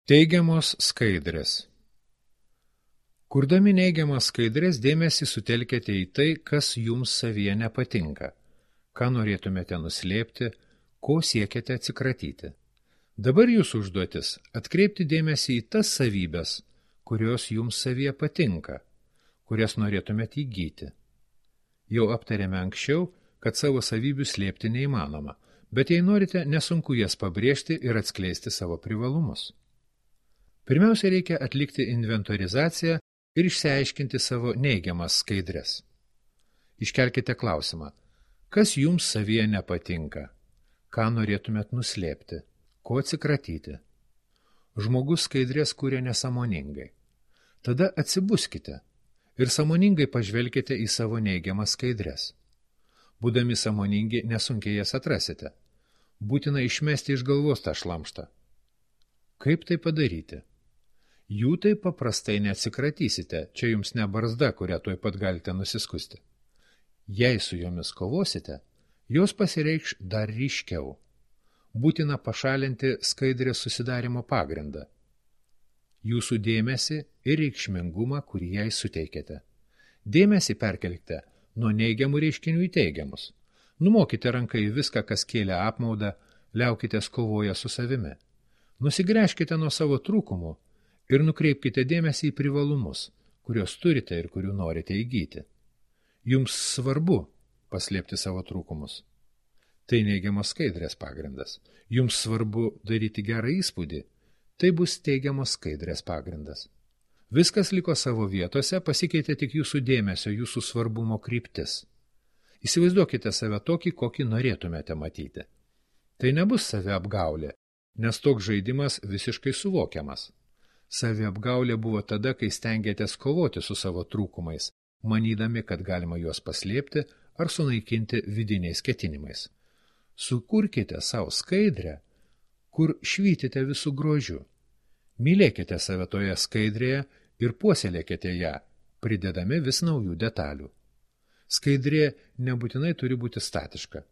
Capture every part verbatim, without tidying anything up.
Teigiamos skaidrės. Kurdami neigiamas skaidrės dėmesį sutelkite į tai, kas jums savyje nepatinka, ką norėtumėte nuslėpti, ko siekiate atsikratyti. Dabar jūsų užduotis atkreipti dėmesį į tas savybės, kurios jums savyje patinka, kurias norėtumėte įgyti. Jau aptarėme anksčiau, kad savo savybių slėpti neįmanoma, bet jei norite, nesunku jas pabrėžti ir atskleisti savo privalumus. Pirmiausia, reikia atlikti inventorizaciją ir išsiaiškinti savo neigiamas skaidres. Iškelkite klausimą, kas jums savyje nepatinka, ką norėtumėt nuslėpti, ko atsikratyti. Žmogus skaidrės kuria nesąmoningai. Tada atsibuskite ir sąmoningai pažvelkite į savo neigiamas skaidres. Būdami sąmoningi, nesunkiai jas atrasite. Būtina išmesti iš galvos tą šlamštą. Kaip tai padaryti? Jų taip paprastai neatsikratysite, čia jums ne barzda, kurią tuoj pat galite nusiskusti. Jei su jomis kovosite, jos pasireikš dar ryškiau. Būtina pašalinti skaidrės susidarimo pagrindą. Jūsų dėmesį ir reikšmingumą, kurį jai suteikėte. Dėmesį perkelkite nuo neigiamų reiškinių į teigiamus. Numokite ranką į viską, kas kėlė apmaudą, liaukitės kovoje su savimi. Nusigręžkite nuo savo trūkumų ir nukreipkite dėmesį į privalumus, kuriuos turite ir kurių norite įgyti. Jums svarbu paslėpti savo trūkumus. Tai neigiamos skaidrės pagrindas. Jums svarbu daryti gerą įspūdį. Tai bus teigiamos skaidrės pagrindas. Viskas liko savo vietose, pasikeitė tik jūsų dėmesio, jūsų svarbumo kryptis. Įsivaizduokite save tokį, kokį norėtumėte matyti. Tai nebus saviapgaulė, nes toks žaidimas visiškai suvokiamas. Saviapgaulė buvo tada, kai stengiatės kovoti su savo trūkumais, manydami, kad galima juos paslėpti ar sunaikinti vidiniais ketinimais. Sukurkite savo skaidrę, kur švytite visų grožiu. Mylėkite save toje skaidrėje ir puoselėkite ją, pridedami vis naujų detalių. Skaidrė nebūtinai turi būti statiška.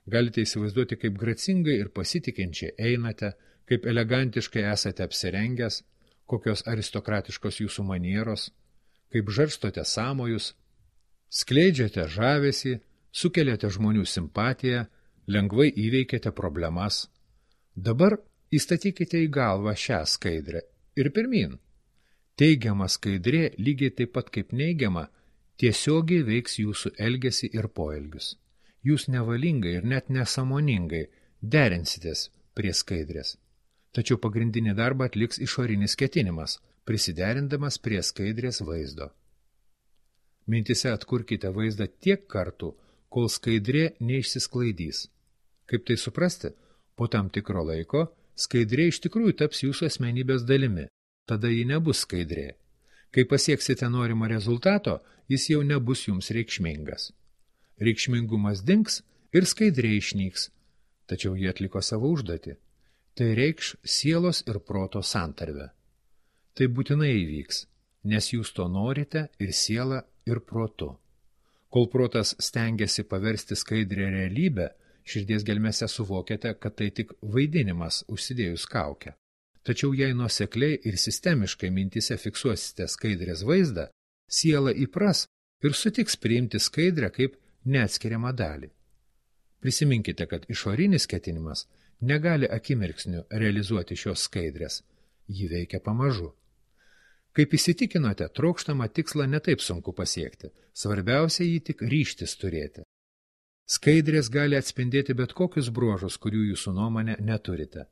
Galite įsivaizduoti, kaip gracingai ir pasitikinčiai einate, kaip elegantiškai esate apsirengęs, kokios aristokratiškos jūsų manieros, kaip žarstote sąmojus, skleidžiate žavesį, sukeliate žmonių simpatiją, lengvai įveikėte problemas. Dabar įstatykite į galvą šią skaidrę ir pirmyn. Teigiama skaidrė, lygiai taip pat kaip neigiama, tiesiogiai veiks jūsų elgesį ir poelgius. Jūs nevalingai ir net nesąmoningai derinsitės prie skaidrės. Tačiau pagrindinį darbą atliks išorinis ketinimas, prisiderindamas prie skaidrės vaizdo. Mintise atkurkite vaizdą tiek kartų, kol skaidrė neišsisklaidys. Kaip tai suprasti? Po tam tikro laiko skaidrė iš tikrųjų taps jūsų asmenybės dalimi, tada ji nebus skaidrė. Kai pasieksite norimą rezultato, jis jau nebus jums reikšmingas. Reikšmingumas dings ir skaidrė išnyks, tačiau jie atliko savo užduotį. Tai reikš sielos ir proto santarvę. Tai būtinai įvyks, nes jūs to norite ir siela, ir protu. Kol protas stengiasi paversti skaidrę realybę, širdies gelmėse suvokiate, kad tai tik vaidinimas užsidėjus kaukę. Tačiau jei nuosekliai ir sistemiškai mintise fiksuosite skaidrės vaizdą, siela įpras ir sutiks priimti skaidrę kaip neatskiriamą dalį. Prisiminkite, kad išorinis ketinimas negali akimirksniu realizuoti šios skaidrės. Ji veikia pamažu. Kaip įsitikinote, trokštamą tikslą netaip sunku pasiekti. Svarbiausia jį tik ryžtis turėti. Skaidrės gali atspindėti bet kokius bruožus, kurių jūsų nuomonė neturite.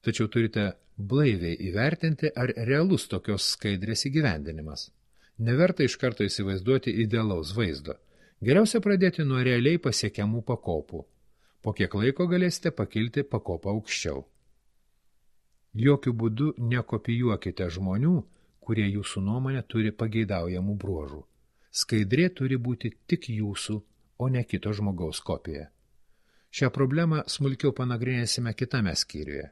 Tačiau turite blaiviai įvertinti, ar realus tokios skaidrės įgyvendinimas. Neverta iš karto įsivaizduoti idealaus vaizdo. Geriausia pradėti nuo realiai pasiekiamų pakopų. Po kiek laiko galėsite pakilti pakopą aukščiau. Jokių būdų nekopijuokite žmonių, kurie jūsų nuomonė turi pageidaujamų bruožų. Skaidrė turi būti tik jūsų, o ne kito žmogaus kopija. Šią problemą smulkiau panagrinėsime kitame skyriuje.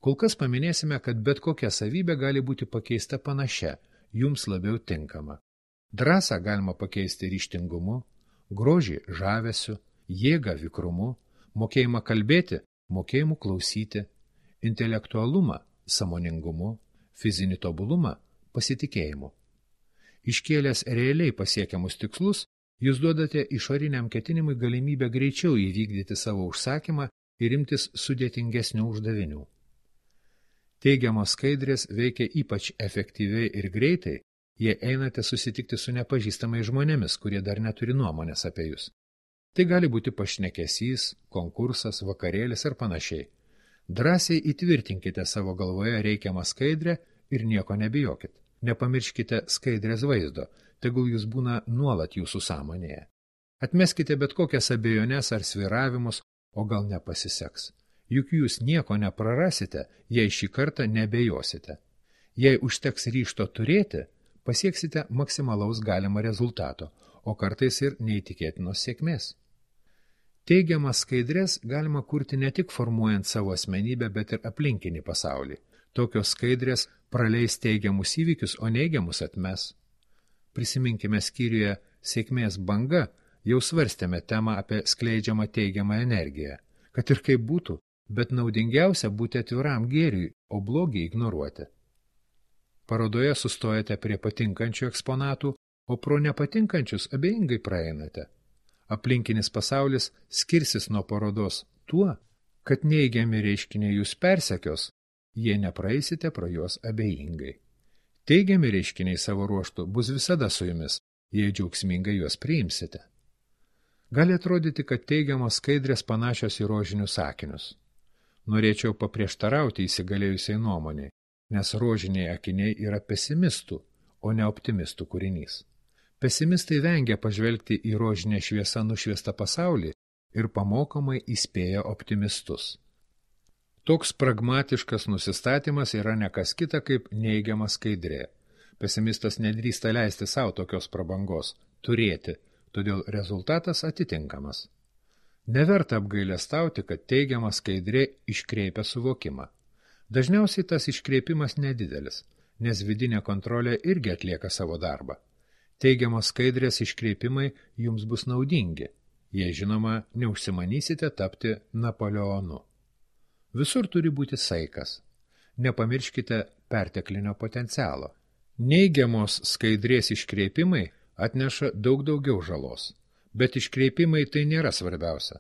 Kol kas paminėsime, kad bet kokia savybė gali būti pakeista panašia, jums labiau tinkama. Drąsą galima pakeisti ryžtingumu, grožį žavesiu, jėgą vikrumu, mokėjimą kalbėti, mokėjimu klausyti, intelektualumą sąmoningumu, fizinį tobulumą pasitikėjimu. Iškėlęs realiai pasiekiamus tikslus, jūs duodate išoriniam ketinimui galimybę greičiau įvykdyti savo užsakymą ir imtis sudėtingesnių uždavinių. Teigiamos skaidrės veikia ypač efektyviai ir greitai, jei einate susitikti su nepažįstamais žmonėmis, kurie dar neturi nuomonės apie jūs. Tai gali būti pašnekesys, konkursas, vakarėlis ar panašiai. Drąsiai įtvirtinkite savo galvoje reikiamą skaidrę ir nieko nebijokit. Nepamirškite skaidrės vaizdo, tegul jūs būna nuolat jūsų sąmonėje. Atmeskite bet kokias abejones ar sviravimus, o gal nepasiseks. Juk jūs nieko neprarasite, jei šį kartą nebejosite. Jei užteks ryžto turėti, pasieksite maksimalaus galima rezultato, o kartais ir neįtikėtinos sėkmės. Teigiamas skaidrės galima kurti ne tik formuojant savo asmenybę, bet ir aplinkinį pasaulį. Tokios skaidrės praleis teigiamus įvykius, o neigiamus atmes. Prisiminkime skyriuje sėkmės banga, jau svarstėme temą apie skleidžiamą teigiamą energiją. Kad ir kaip būtų, bet naudingiausia būti atviram gėriui, o blogį ignoruoti. Parodoje sustojate prie patinkančių eksponatų, o pro nepatinkančius abejingai praeinate. Aplinkinis pasaulis skirsis nuo parodos tuo, kad neigiami reiškiniai jūs persekios, jei nepraeisite pro juos abejingai. Teigiami reiškiniai savo ruožtu bus visada su jumis, jei džiaugsmingai juos priimsite. Gali atrodyti, kad teigiamos skaidrės panašios į rožinius akinius. Norėčiau paprieštarauti įsigalėjusiai nuomonei, nes rožiniai akiniai yra pesimistų, o ne optimistų kūrinys. Pesimistai vengia pažvelgti į rožinę šviesą nušviestą pasaulį ir pamokomai įspėja optimistus. Toks pragmatiškas nusistatymas yra ne kas kita kaip neigiama skaidrė. Pesimistas nedrįsta leisti savo tokios prabangos – turėti, todėl rezultatas atitinkamas. Neverta apgailestauti, kad teigiama skaidrė iškreipia suvokimą. Dažniausiai tas iškreipimas nedidelis, nes vidinė kontrolė irgi atlieka savo darbą. Teigiamos skaidrės iškreipimai jums bus naudingi, jei žinoma neužsimanysite tapti Napoleonu. Visur turi būti saikas. Nepamirškite perteklinio potencialo. Neigiamos skaidrės iškreipimai atneša daug daugiau žalos, bet iškreipimai tai nėra svarbiausia.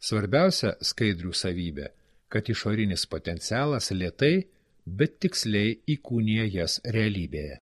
Svarbiausia skaidrių savybė, kad išorinis potencialas lėtai, bet tiksliai įkūnija jas realybėje.